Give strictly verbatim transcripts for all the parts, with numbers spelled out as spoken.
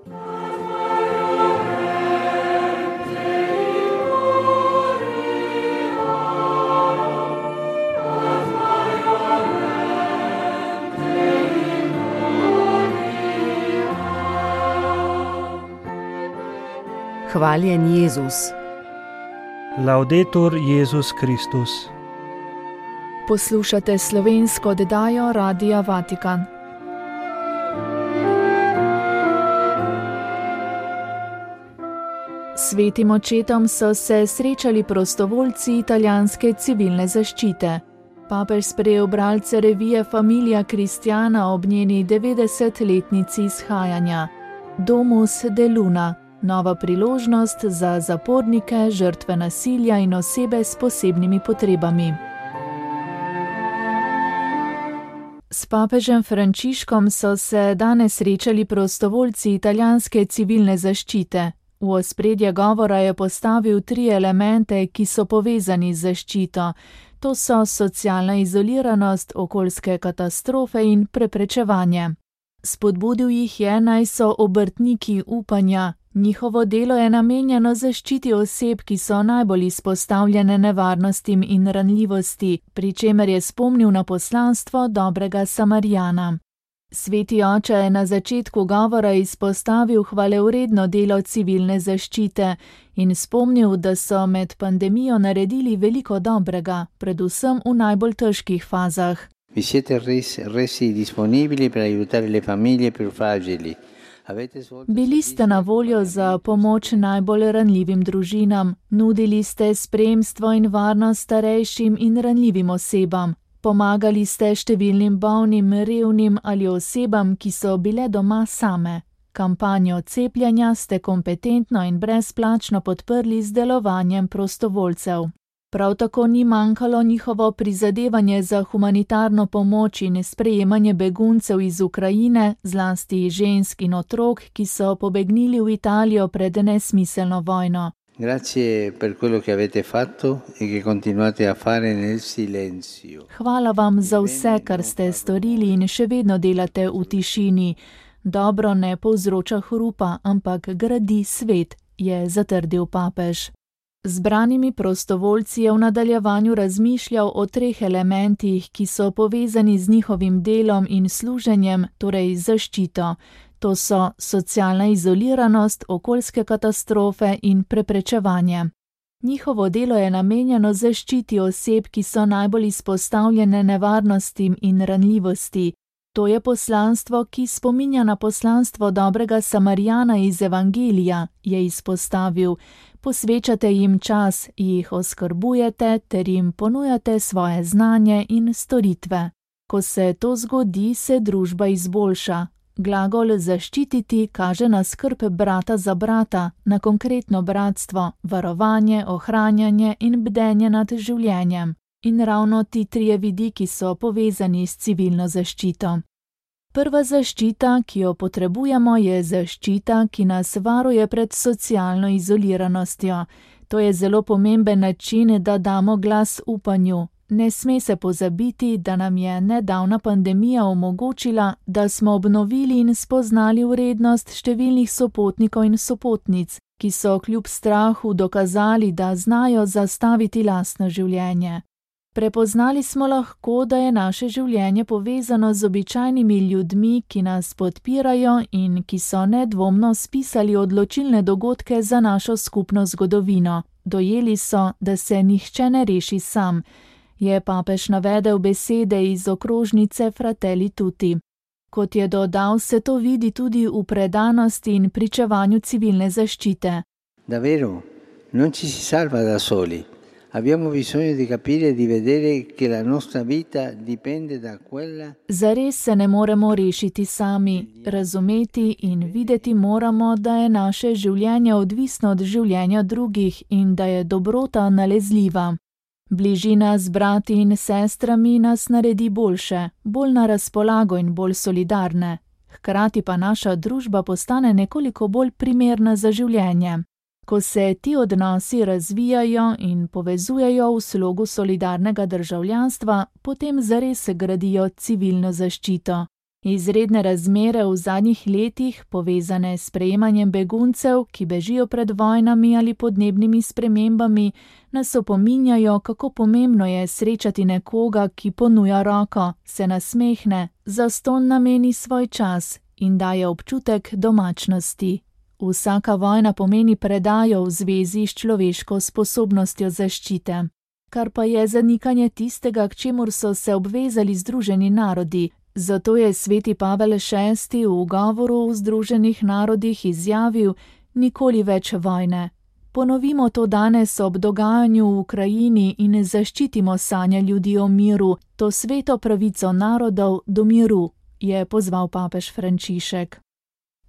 Hvaljen Jezus. Laudetur Jezus Kristus. Poslušate slovensko oddajo Radia Vatikan. Svetim očetom so se srečali prostovoljci italijanske civilne zaščite. Papež sprejel bralce revije Familia Cristiana ob njeni devetdesetletnici izhajanja. Domus de Luna. Nova priložnost za zapornike, žrtve nasilja in osebe s posebnimi potrebami. S papežem Frančiškom so se danes srečali prostovoljci italijanske civilne zaščite. V ospredje govora je postavil tri elemente, ki so povezani z zaščito. To so socialna izoliranost, okoljske katastrofe in preprečevanje. Spodbudil jih je, naj so obrtniki upanja. Njihovo delo je namenjeno zaščiti oseb, ki so najbolj izpostavljene nevarnostim in ranljivosti, pri čemer je spomnil na poslanstvo dobrega Samarijana. Sveti oče je na začetku govora izpostavil hvalevredno delo civilne zaščite in spomnil, da so med pandemijo naredili veliko dobrega, predvsem v najbolj težkih fazah. Vi siete resi disponibili per aiutare le famiglie più fragili. Bili ste na voljo za pomoč najbolj ranljivim družinam, nudili ste spremstvo in varnost starejšim in ranljivim osebam, pomagali ste številnim bolnim, revnim ali osebam, ki so bile doma same. Kampanjo cepljenja ste kompetentno in brezplačno podprli z delovanjem prostovoljcev. Prav tako ni manjkalo njihovo prizadevanje za humanitarno pomoč in sprejemanje beguncev iz Ukrajine, zlasti žensk in otrok, ki so pobegnili v Italijo pred nesmiselno vojno. Grazie per quello che avete fatto e che continuate a fare nel silenzio. Hvala vam za vse, kar ste storili in še vedno delate v tišini. Dobro ne povzroča hrupa, ampak gradi svet, je zatrdil papež. Zbranimi prostovoljci je v nadaljevanju razmišljal o treh elementih, ki so povezani z njihovim delom in služenjem, torej zaščito. To so socialna izoliranost, okoljske katastrofe in preprečevanje. Njihovo delo je namenjeno zaščiti oseb, ki so najbolj izpostavljene nevarnostim in ranljivosti. To je poslanstvo, ki spominja na poslanstvo dobrega Samarijana iz Evangelija, je izpostavil. Posvečate jim čas, jih oskrbujete ter jim ponujate svoje znanje in storitve. Ko se to zgodi, se družba izboljša. Glagol zaščititi kaže na skrb brata za brata, na konkretno bratstvo, varovanje, ohranjanje in bdenje nad življenjem. In ravno ti trije vidiki so povezani s civilno zaščito. Prva zaščita, ki jo potrebujemo, je zaščita, ki nas varuje pred socialno izoliranostjo. To je zelo pomemben način, da damo glas upanju. Ne sme se pozabiti, da nam je nedavna pandemija omogočila, da smo obnovili in spoznali vrednost številnih sopotnikov in sopotnic, ki so kljub strahu dokazali, da znajo zastaviti lastno življenje. Prepoznali smo lahko, da je naše življenje povezano z običajnimi ljudmi, ki nas podpirajo in ki so nedvomno spisali odločilne dogodke za našo skupno zgodovino. Dojeli so, da se nihče ne reši sam, je papež navedel besede iz okrožnice Fratelli Tutti. Kot je dodal, se to vidi tudi v predanosti in pričevanju civilne zaščite. Davvero, non ci si salva da soli. Abbiamo bisogno di capire e di vedere che la nostra vita dipende da quella. Zares se ne moremo rešiti sami, razumeti in videti moramo, da je naše življenje odvisno od življenja drugih in da je dobrota nalezljiva. Bližina z brati in sestrami nas naredi boljše, bolj na razpolago in bolj solidarne. Hkrati pa naša družba postane nekoliko bolj primerna za življenje. Ko se ti odnosi razvijajo in povezujejo v slogu solidarnega državljanstva, potem zares gradijo civilno zaščito. Izredne razmere v zadnjih letih, povezane s sprejemanjem beguncev, ki bežijo pred vojnami ali podnebnimi spremembami, nas opominjajo, kako pomembno je srečati nekoga, ki ponuja roko, se nasmehne, zastonj nameni svoj čas in daje občutek domačnosti. Vsaka vojna pomeni predajo v zvezi s človeško sposobnostjo zaščite. Kar pa je zanikanje tistega, k čemur so se obvezali Združeni narodi. Zato je sveti Pavel šesti v govoru v Združenih narodih izjavil: nikoli več vojne. Ponovimo to danes ob dogajanju v Ukrajini in zaščitimo sanje ljudi o miru, to sveto pravico narodov do miru, je pozval papež Frančišek.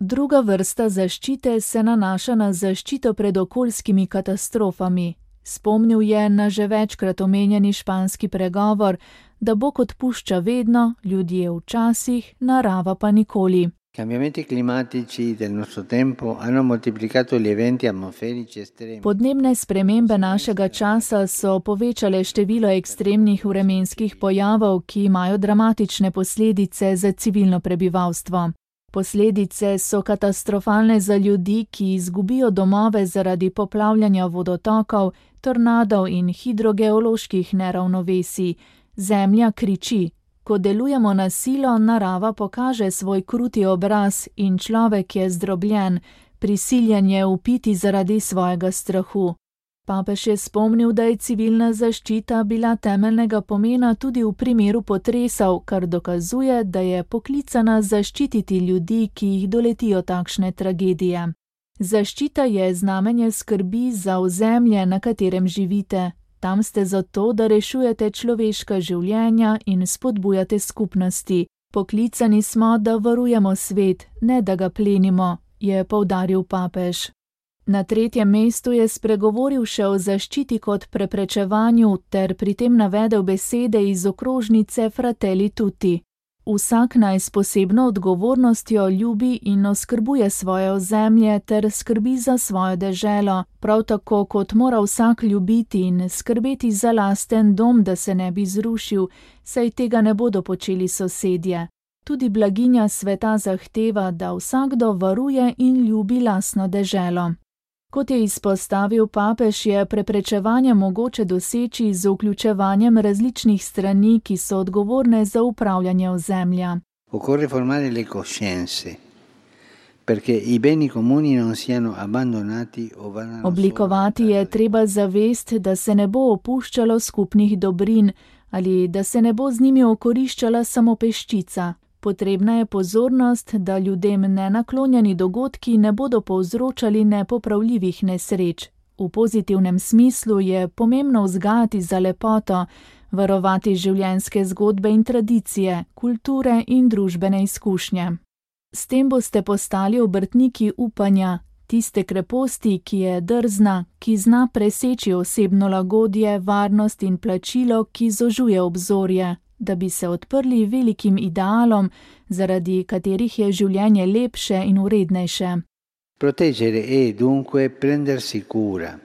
Druga vrsta zaščite se nanaša na zaščito pred okoljskimi katastrofami. Spomnil je na že večkrat omenjeni španski pregovor, da Bog odpušča vedno, ljudje včasih, narava pa nikoli. Cambiamenti climatici del nostro tempo hanno moltiplicato gli eventi atmosferici estremi. Podnebne spremembe našega časa so povečale število ekstremnih vremenskih pojavov, ki imajo dramatične posledice za civilno prebivalstvo. Posledice so katastrofalne za ljudi, ki izgubijo domove zaradi poplavljanja vodotokov, tornadov in hidrogeoloških neravnovesij. Zemlja kriči. Ko delujemo na silo, narava pokaže svoj kruti obraz in človek je zdrobljen, prisiljen je upiti zaradi svojega strahu. Papež je spomnil, da je civilna zaščita bila temeljnega pomena tudi v primeru potresov, kar dokazuje, da je poklicana zaščititi ljudi, ki jih doletijo takšne tragedije. Zaščita je znamenje skrbi za ozemlje, na katerem živite. Tam ste zato, da rešujete človeška življenja in spodbujate skupnosti. Poklicani smo, da varujemo svet, ne da ga plenimo, je poudaril papež. Na tretjem mestu je spregovoril še o zaščiti kot preprečevanju ter pri tem navedel besede iz okrožnice Fratelli Tutti. Vsak naj s posebno odgovornostjo ljubi in oskrbuje svoje ozemlje ter skrbi za svojo deželo, prav tako kot mora vsak ljubiti in skrbeti za lasten dom, da se ne bi zrušil, saj tega ne bodo počeli sosedje. Tudi blaginja sveta zahteva, da vsakdo varuje in ljubi lastno deželo. Kot je izpostavil papež, je preprečevanje mogoče doseči z vključevanjem različnih strani, ki so odgovorne za upravljanje ozemlja. Occorre formare le coscienze, perché i beni comuni non siano abbandonati o vadano. Oblikovati je treba zavest, da se ne bo opuščalo skupnih dobrin ali da se ne bo z njimi okoriščala samo peščica. Potrebna je pozornost, da ljudem nenaklonjeni dogodki ne bodo povzročali nepopravljivih nesreč. V pozitivnem smislu je pomembno vzgajati za lepoto, varovati življenjske zgodbe in tradicije, kulture in družbene izkušnje. S tem boste postali obrtniki upanja, tiste kreposti, ki je drzna, ki zna preseči osebno lagodje, varnost in plačilo, ki zožuje obzorje, da bi se odprli velikim idealom, zaradi katerih je življenje lepše in vrednejše. Proteggere è dunque prendersi cura.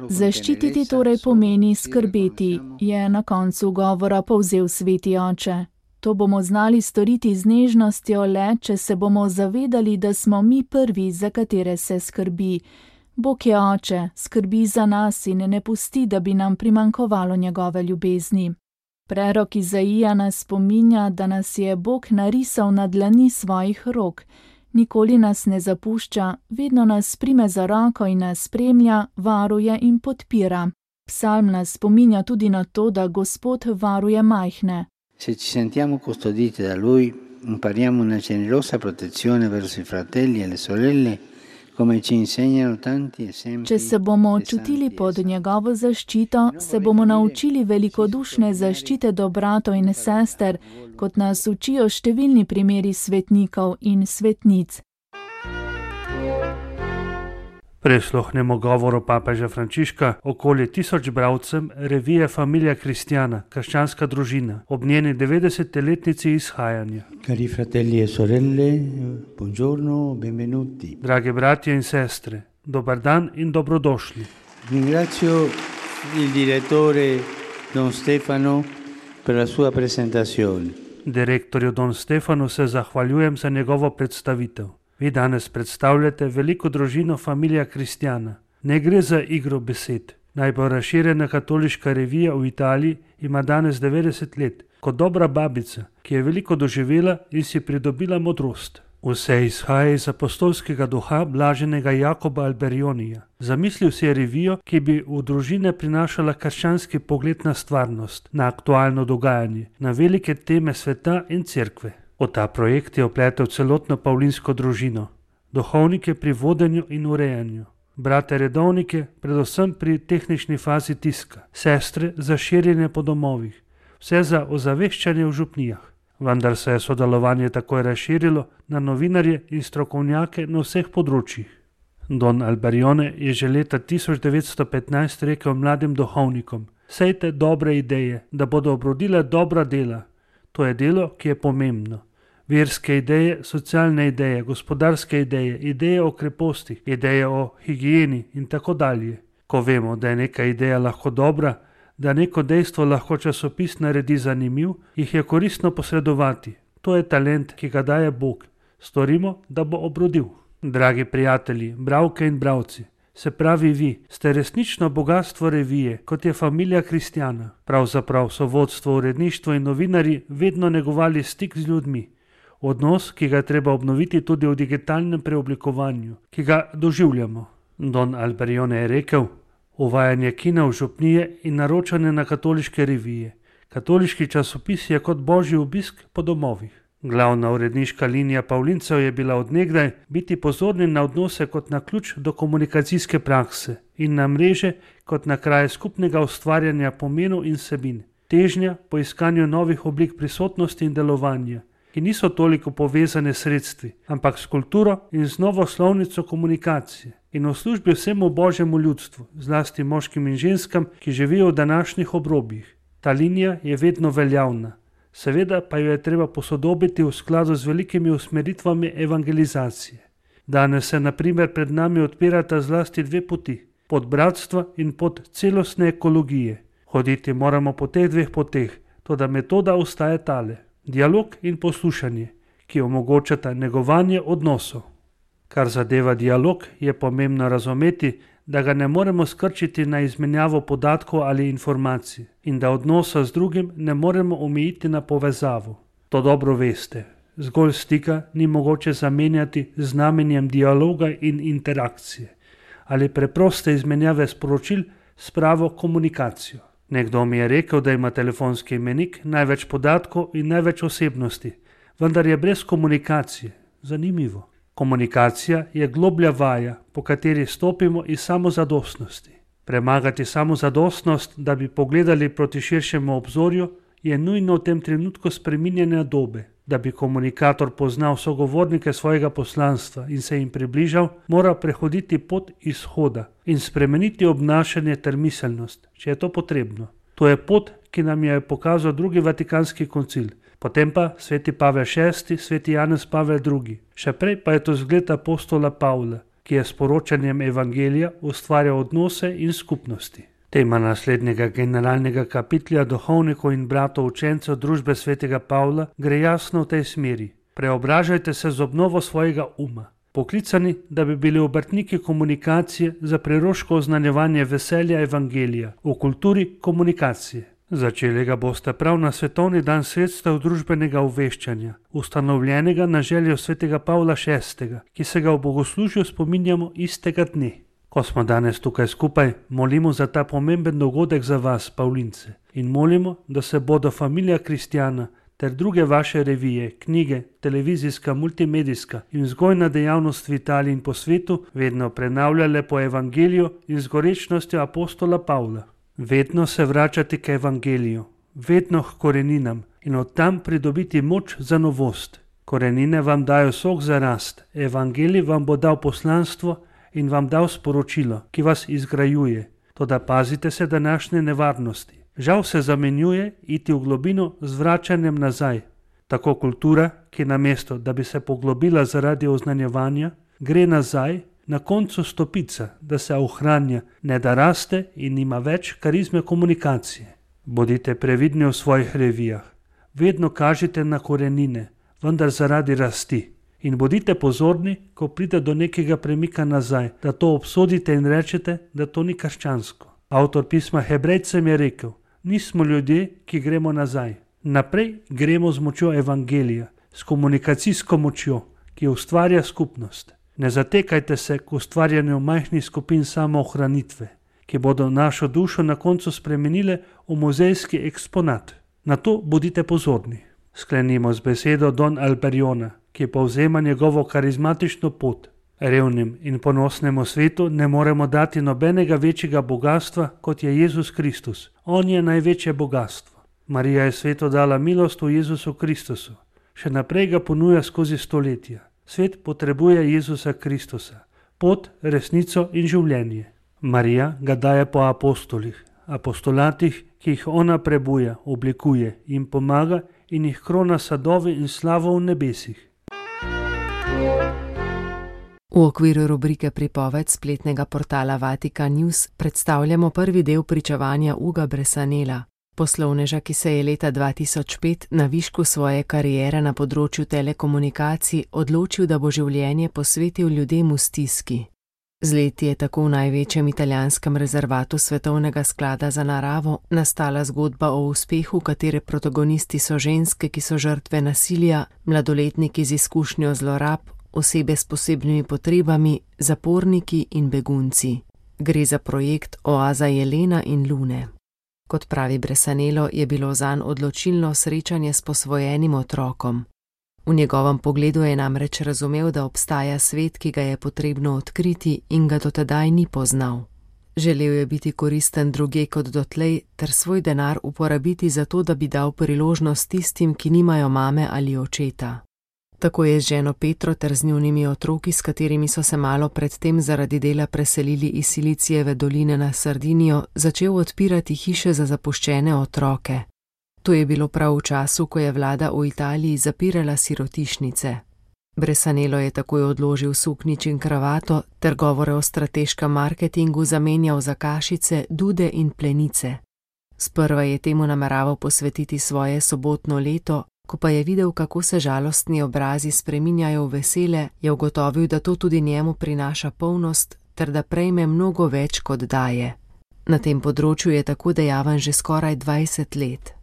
Zaščititi torej pomeni skrbeti, je na koncu govora povzel sveti oče. To bomo znali storiti z nežnostjo le, če se bomo zavedali, da smo mi prvi, za katere se skrbi. Bog je oče, skrbi za nas in ne pusti, da bi nam primanjkovalo njegove ljubezni. Prerok Izaija nas spominja, da nas je Bog narisal na dlani svojih rok. Nikoli nas ne zapušča, vedno nas prime za roko in nas spremlja, varuje in podpira. Psalm nas spominja tudi na to, da Gospod varuje majhne. Se ci sentiamo custoditi da Lui, impariamo una generosa protezione verso i fratelli e le sorelle, come ci insegnano tanti esempi. Če se bomo čutili pod njegovo zaščito, se bomo naučili velikodušne zaščite do bratov in sester, kot nas učijo številni primeri svetnikov in svetnic. Prisluhnemo govoru papeža Frančiška okoli tisoč bralcem revije Familia Cristiana, krščanska družina, ob njeni devetdesetletnici izhajanja. Cari fratelli e sorelle, buongiorno, benvenuti. Drage bratje in sestre, dobar dan in dobrodošli. Ringrazio il direttore Don Stefano per la sua presentazione. Direktorju Don Stefanu se zahvaljujem za njegovo predstavitev. Vi danes predstavljate veliko družino Familia Cristiana. Ne gre za igro besed. Najbolj razširjena katoliška revija v Italiji ima danes devetdeset let, kot dobra babica, ki je veliko doživela in si pridobila modrost. Vse izhaja iz apostolskega duha blaženega Jakoba Alberionija. Zamislil si je revijo, ki bi v družine prinašala krščanski pogled na stvarnost, na aktualno dogajanje, na velike teme sveta in cerkve. V ta projekt je opletel celotno pavlinsko družino, duhovnike pri vodenju in urejanju, brate redovnike, predvsem pri tehnični fazi tiska, sestre za širjenje po domovih, vse za ozaveščanje v župnijah. Vendar se je sodelovanje takoj razširilo na novinarje in strokovnjake na vseh področjih. Don Alberione je že leta tisoč devetsto petnajst rekel mladim duhovnikom: sejte dobre ideje, da bodo obrodile dobra dela. To je delo, ki je pomembno. Verske ideje, socialne ideje, gospodarske ideje, ideje o krepostih, ideje o higieni in tako dalje. Ko vemo, da je neka ideja lahko dobra, da neko dejstvo lahko časopis naredi zanimiv, jih je koristno posredovati. To je talent, ki ga daje Bog. Storimo, da bo obrodil. Dragi prijatelji, bralke in bralci, se pravi vi, ste resnično bogatstvo revije, kot je Familia Cristiana. Pravzaprav so vodstvo, uredništvo in novinarji vedno negovali stik z ljudmi. Odnos, ki ga je treba obnoviti tudi v digitalnem preoblikovanju, ki ga doživljamo. Don Alberione je rekel: uvajanje kina v župnije in naročanje na katoliške revije. Katoliški časopis je kot božji obisk po domovih. Glavna uredniška linija Pavlincev je bila odnegdaj biti pozorni na odnose kot na ključ do komunikacijske prakse in na mreže kot na kraje skupnega ustvarjanja pomenov in vsebin. Težnja po iskanju novih oblik prisotnosti in delovanja, ki niso toliko povezane s sredstvi, ampak s kulturo in z novo slovnico komunikacije. In v službi vsemu božjemu ljudstvu, zlasti moškim in ženskam, ki živijo v današnjih obrobjih. Ta linija je vedno veljavna, seveda pa jo je treba posodobiti v skladu z velikimi usmeritvami evangelizacije. Danes se na primer pred nami odpirata zlasti dve poti, pot bratstva in pot celostne ekologije. Hoditi moramo po teh dveh poteh, toda metoda ostaja tale: dialog in poslušanje, ki omogočata negovanje odnosov. Kar zadeva dialog, je pomembno razumeti, da ga ne moremo skrčiti na izmenjavo podatkov ali informacij in da odnosa z drugim ne moremo omejiti na povezavo. To dobro veste. Zgolj stika ni mogoče zamenjati z znamenjem dialoga in interakcije ali preproste izmenjave sporočil s pravo komunikacijo. Nekdo mi je rekel, da ima telefonski imenik največ podatkov in največ osebnosti, vendar je brez komunikacije. Zanimivo. Komunikacija je globlja vaja, po kateri stopimo iz samozadostnosti. Premagati samozadostnost, da bi pogledali proti širšemu obzorju, je nujno v tem trenutku spreminjanja dobe. Da bi komunikator poznal sogovornike svojega poslanstva in se jim približal, mora prehoditi pot izhoda in spremeniti obnašanje ter miselnost, če je to potrebno. To je pot, ki nam je pokazal drugi Vatikanski koncil, potem pa sveti Pavel šesti, sveti Janez Pavel drugi. Še prej pa je to zgled apostola Pavla, ki je s poročanjem evangelija ustvarjal odnose in skupnosti. Tema naslednjega generalnega kapitlja duhovnikov in bratov učencev družbe svetega Pavla gre jasno v tej smeri. Preobražajte se z obnovo svojega uma. Poklicani, da bi bili obrtniki komunikacije za preroško oznanjevanje veselja evangelija v kulturi komunikacije. Začeli ga boste prav na svetovni dan sredstev družbenega obveščanja, ustanovljenega na željo svetega Pavla šestega, ki se ga v bogoslužju spominjamo istega dne. Ko smo danes tukaj skupaj, molimo za ta pomemben dogodek za vas, Pavlince, in molimo, da se bodo Familia Cristiana ter druge vaše revije, knjige, televizijska, multimedijska in vzgojna dejavnost v Italiji in po svetu vedno prenavljale po evangeliju in z gorečnostjo apostola Pavla. Vedno se vračati k evangeliju, vedno k koreninam in od tam pridobiti moč za novost. Korenine vam dajo sok za rast, evangelij vam bo dal poslanstvo in vam dal sporočilo, ki vas izgrajuje. Toda pazite se današnje nevarnosti. Žal se zamenjuje iti v globino z vračanjem nazaj. Tako kultura, ki namesto, da bi se poglobila zaradi oznanjevanja, gre nazaj, na koncu stopica, da se ohranja, ne da raste in ima več karizme komunikacije. Bodite previdni v svojih revijah. vedno kažite na korenine, vendar zaradi rasti. In bodite pozorni, ko pride do nekega premika nazaj, da to obsodite in rečete, da to ni krščansko. Avtor pisma Hebrejcem je rekel, nismo ljudje, ki gremo nazaj. Naprej gremo z močjo evangelija, s komunikacijsko močjo, ki ustvarja skupnost. Ne zatekajte se k ustvarjanju majhnih skupin samoohranitve, ki bodo našo dušo na koncu spremenile v muzejski eksponat. Na to bodite pozorni. Sklenimo z besedo Don Alberiona, ki povzema njegovo karizmatično pot. Revnim in ponosnemu svetu ne moremo dati nobenega večjega bogatstva, kot je Jezus Kristus. On je največje bogatstvo. Marija je svetu dala milost v Jezusu Kristusu. Še naprej ga ponuja skozi stoletja. Svet potrebuje Jezusa Kristusa, pot, resnico in življenje. Marija ga daje po apostolih, apostolatih, ki jih ona prebuja, oblikuje in pomaga in jih krona sadovi in slavo v nebesih. V okviru rubrike Pripoved spletnega portala Vatikan News predstavljamo prvi del pričevanja Uga Bresanela, poslovneža, ki se je leta dva tisoč pet na višku svoje kariere na področju telekomunikacij odločil, da bo življenje posvetil ljudem v stiski. Z leti je tako v največjem italijanskem rezervatu Svetovnega sklada za naravo nastala zgodba o uspehu, katere protagonisti so ženske, ki so žrtve nasilja, mladoletniki z izkušnjo zlorab, osebe s posebnimi potrebami, zaporniki in begunci. Gre za projekt Oaza Jelena in Lune. Kot pravi Bresanelo, je bilo zanj odločilno srečanje s posvojenim otrokom. V njegovem pogledu je namreč razumel, da obstaja svet, ki ga je potrebno odkriti in ga do tedaj ni poznal. Želel je biti koristen drugje kot dotlej, ter svoj denar uporabiti za to, da bi dal priložnost tistim, ki nimajo mame ali očeta. Tako je z ženo Petro ter z njunimi otroki, s katerimi so se malo predtem zaradi dela preselili iz Silicijeve doline na Sardinijo, začel odpirati hiše za zapuščene otroke. To je bilo prav v času, ko je vlada v Italiji zapirala sirotišnice. Bresanelo je takoj odložil suknjič in kravato ter govore o strateškem marketingu zamenjal za kašice, dude in plenice. Sprva je temu nameraval posvetiti svoje sobotno leto, ko pa je videl, kako se žalostni obrazi spreminjajo v vesele, je ugotovil, da to tudi njemu prinaša polnost ter da prejme mnogo več, kot daje. Na tem področju je tako dejaven že skoraj dvajset let.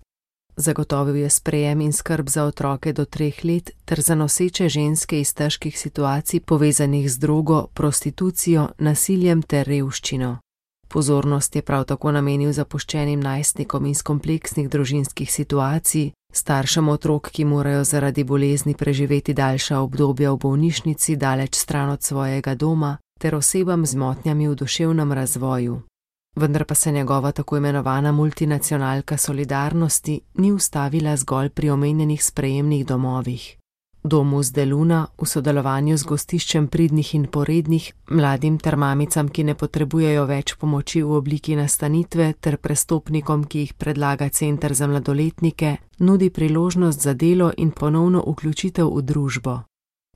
Zagotovil je sprejem in skrb za otroke do treh let ter za noseče ženske iz težkih situacij povezanih z drogo, prostitucijo, nasiljem ter revščino. Pozornost je prav tako namenil zapuščenim najstnikom iz kompleksnih družinskih situacij, staršem otrok, ki morajo zaradi bolezni preživeti daljša obdobja v bolnišnici daleč stran od svojega doma, ter osebam z motnjami v duševnem razvoju. Vendar pa se njegova tako imenovana multinacionalka solidarnosti ni ustavila zgolj pri omenjenih sprejemnih domovih. Domus de Luna v sodelovanju z gostiščem pridnih in porednih, mladim ter mamicam, ki ne potrebujejo več pomoči v obliki nastanitve, ter prestopnikom, ki jih predlaga Center za mladoletnike, nudi priložnost za delo in ponovno vključitev v družbo.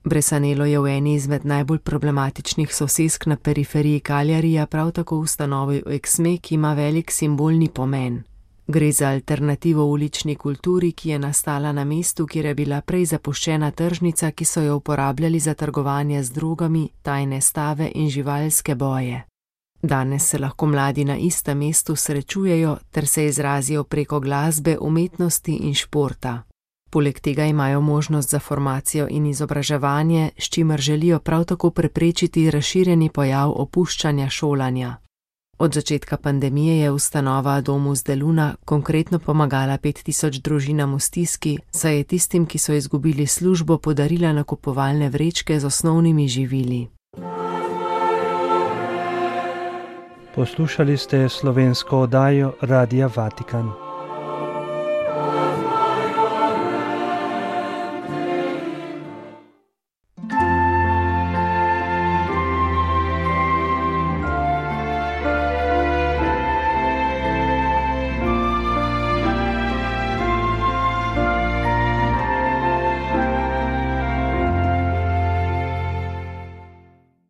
Bresanelo je v eni izmed najbolj problematičnih sosesk na periferiji Cagliarija prav tako ustanovil Exme, ki ima velik simbolni pomen. Gre za alternativo ulični kulturi, ki je nastala na mestu, kjer je bila prej zapuščena tržnica, ki so jo uporabljali za trgovanje z drogami, tajne stave in živalske boje. Danes se lahko mladi na istem mestu srečujejo ter se izrazijo preko glasbe, umetnosti in športa. Poleg tega imajo možnost za formacijo in izobraževanje, s čimer želijo prav tako preprečiti razširjeni pojav opuščanja šolanja. Od začetka pandemije je ustanova Domus de Luna konkretno pomagala pet tisoč družinam v stiski, saj je tistim, ki so izgubili službo, podarila nakupovalne vrečke z osnovnimi živili. Poslušali ste slovensko oddajo Radia Vatikan.